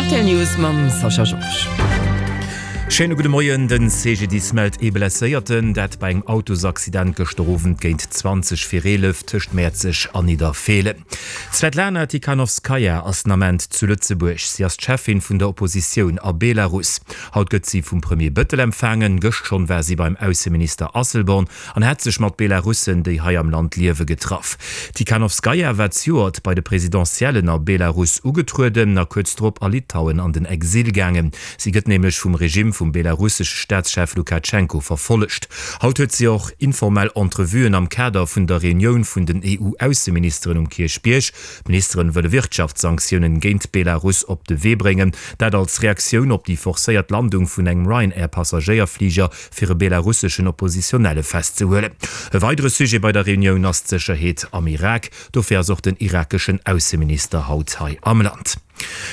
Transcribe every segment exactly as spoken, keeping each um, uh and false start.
Rtl News mam Sascha Georges. Schéine gudde Moien, Den C G D I S mellt ee Blesséierten, dat bei engem Autosaccident gëschter Owend géint zwanzeg vir eelef tëscht Mäerzeg an Nidderfeelen. D'Svetlana Tikhanovskaja ass den Ament zu Lëtzebuerg. Si ass d'Cheffin vun der Oppositioun a Belarus. Haut gëtt si vum Premier Bëttel empfaangen. Gëscht schonn war si beim Ausseminister Asselborn an hat sech mat Belarussen, déi hei am Land liewe, getraff. D'Tikhanovskaja war zejoert bei de Presidentiellen a Belarus ugetrueden a kuerz drop a Litauen an den Exil gaangen. Si gëtt nämlech vum Regime vum belarussesche Staatschef Lukatschenko verfollegt. Haut huet si och informell Entrevuen am Kader vun der Reunioun vun den E U-Ausseministeren um Kierchbierg. D'Ministeren wëlle Wirtschaftssanktiounen géint Belarus op de Wee bréngen, dat als Reaktioun op déi forcéiert Landung vun engem Ryanair-Passagéierfliger fir e belarusseschen Oppositionelle festzehuelen. E weidere Sujet bei der Reunioun ass d'Sécherheet am Irak. Dofir ass och den irakeschen Ausseminister haut hei am Land.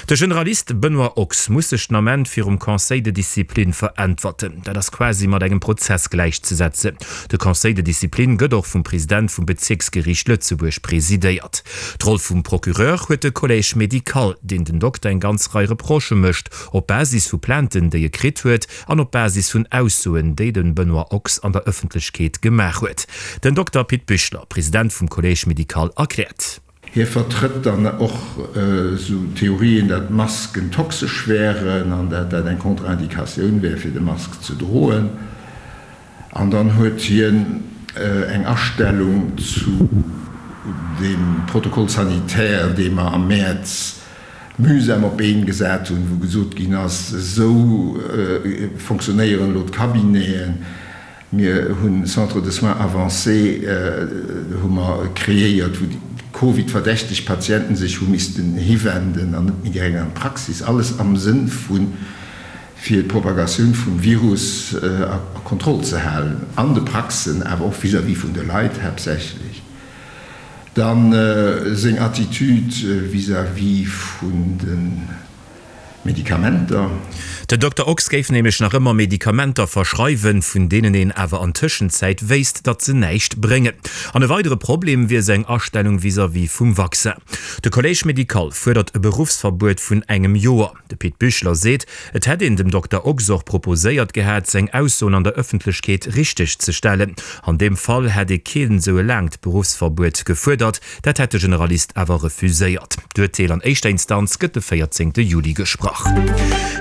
De Generalist Benoît Ochs muss sech den Ament virum Conseil de discipline veräntwerten. Dat ass quasi mat engem Prozess gläichzesetzen. De Conseil de discipline gëtt och vum President vum Bezierksgeriicht Lëtzebuerg presidéiert. D'Roll vum Procureur huet de Collège médical, deen den Dokter eng ganz Rei Reprochë mécht, op Basis vu Plainten, déi e kritt huet, an op Basis vun Aussoen, déi de Benoît Ochs an der Ëffentlechkeet gemaach huet. Den Dokter Pit Büchler, President vum Collège médical, erkläert. Hie vertrëtt dann och esou Theorien, datt Masken toxesch wären an datt dat eng Contre-indicatioun wär fir de Mask ze droen. An dann huet hien eng Astellung zu deem Protocole sanitaire, dee mer am Mäerz mühsam op d'Been gesat hunn, wou gesot ginn ass, esou fonctionnéieren elo d'Cabineten. Mir hunn Centres de soins avancés hu mer kreéiert, wou déi Covid-verdächteg Patienten sech hu missten hiwenden an net méi direkt an d'Praxis. Alles am Sënn vu fir d'Propagatioun vum Virus a Kontroll ze halen an de Praxen, awer och vis-à-vis vun de Leit haaptsächlech. Dann seng Attitude vis-à-vis vun de Medikamenter. Den Dokter Ochs géif nämlech nach ëmmer Medikamenter verschreiwen, vun deenen een awer an Tëschenzäit wéisst, datt se näischt bréngen. An e weidere Problem wier seng Astellung vis-à-vis vum Vaccin. De Collège médical fuerdert e Beruffsverbuet vun engem Joer. De Pit Büchler seet, et hätt een dem Dokter Ochs och proposéiert gehat, seng Aussoen an der Ëffentlechkeet richteg ze stellen. An deem Fall hätt ee keen esou e laangt Beruffsverbuet gefuerdert. Dat hätt de Generalist awer refuséiert. D'Urteel an éischter Instanz gëtt de véierzéngte Juli gesprach.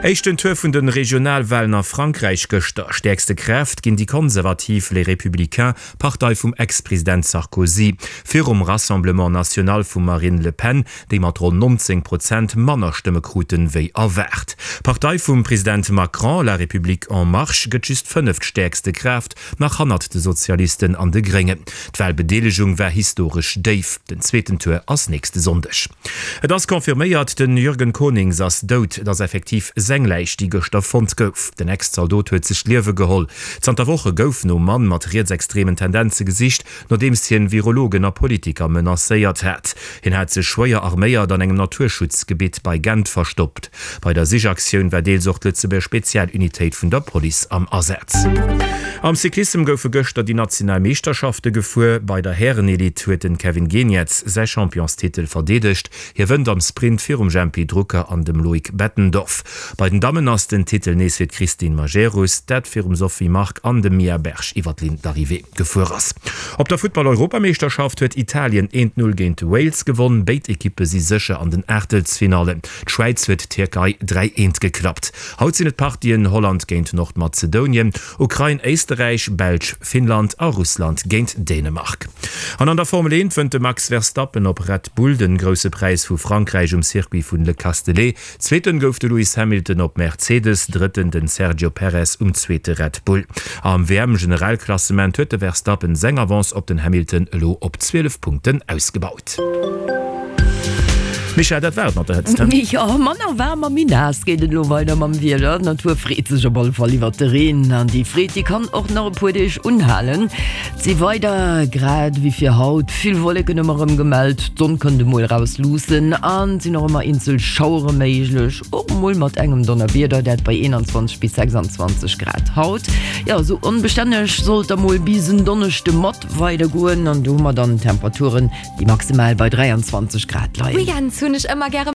Éischten Tour vun de Regionalwalen a Frankräich gëschter. Stäerkste Kraaft ginn déi konservativ Les Républicains, Partei vum Ex-President Sarkozy, virum Rassemblement National vum Marine Le Pen, déi mat ronn nonzéng Prozent manner Stëmme kruten, wéi erwaart. D'Partei vum President Macron, La République en Marche, gëtt just fënneftstäerkste Kraaft, nach hannert de Sozialisten an de Gréngen. D'Walbedeelegung war historesch déif. Den zweeten Tour ass nächste Sonndeg. Et ass confirméiert, De Jürgen Conings ass dout. Et ass effektiv seng Läich, déi gëschter fonnt gouf. Den Ex-Zaldot huet sech d'Liewe geholl. Zanter Woche gouf nom Mann mat rietsextremen Tendenze gesicht, nodeems hien Virologen a Politiker menacéiert hat. Hien hat sech schwéier arméiert an engem Naturschutzgebitt bei Gent verstoppt. Bei der Sichaktioun war deels och d'Lëtzebuerger Spezialunitéit vun der Police am Asaz. Am Cyclissem goufe gëschter déi national Meeschterschafte gefuer. Bei der Härenelite huet de Kevin Geniets säi Championstitel verdeedegt. Hie wënnt am Sprint virum Jempy Drucker an dem Loïc Bettendorf. Bei den Dammen ass den Titel nees fir d'Christine Majerus, dat virum Sophie Mark an dem Mia Berg iwwer d'Linn d'Arrivée gefuer ass. Op der Futtball-Europameeschterschaft huet Italien eent Null géint Wales gewonn. Béid Ekippe si sécher an den Aachtelsfinallen. D'Schwäiz huet d'Tierkei dräi eent geklappt. Haut sinn et d'Partien Holland géint Nordmazedonien, Ukrain, Éisterräich, Belsch, Finnland a Russland géint Dänemark. An an der Formel eent wënnt de Max Verstappen op Red Bull den Grousse Präis vu Frankräich um Circuit vun Le Castellet. Zweeten gouf de Lewis Hamilton op Mercedes, Drëtten den Sergio Perez um zweete Red Bull. Am W M-Generalklassement huet de Verstappen seng Avance op den Hamilton elo op zwielef Punkten ausgebaut. Michèle, dat war et mat der Hëtzt. Jo, manner waarm a méi naass geet et elo weider mam Wieder. D'Natur freet sech op alle Fall iwwert de Reen an déi Freed, déi kann och nach e puer Deeg unhalen. Et si weider, grad ewéi fir haut, vill Wolleken ëmmer erëm gemellt. D'Sonn kënnt emol eraus luussen an et sinn och ëmmer eenzel Schauere méiglech, och emol mat engem Donnerwieder, dat bei eenanzwanzeg bis sechsanzwanzeg Grad haut. Jo, esou onbestänneg soll et da mol bis en Donneschde mat weider goen an do hu mer dann Temperaturen, déi maximal bei dräianzwanzeg Grad leien. Weekends hunn ech ëmmer gäre.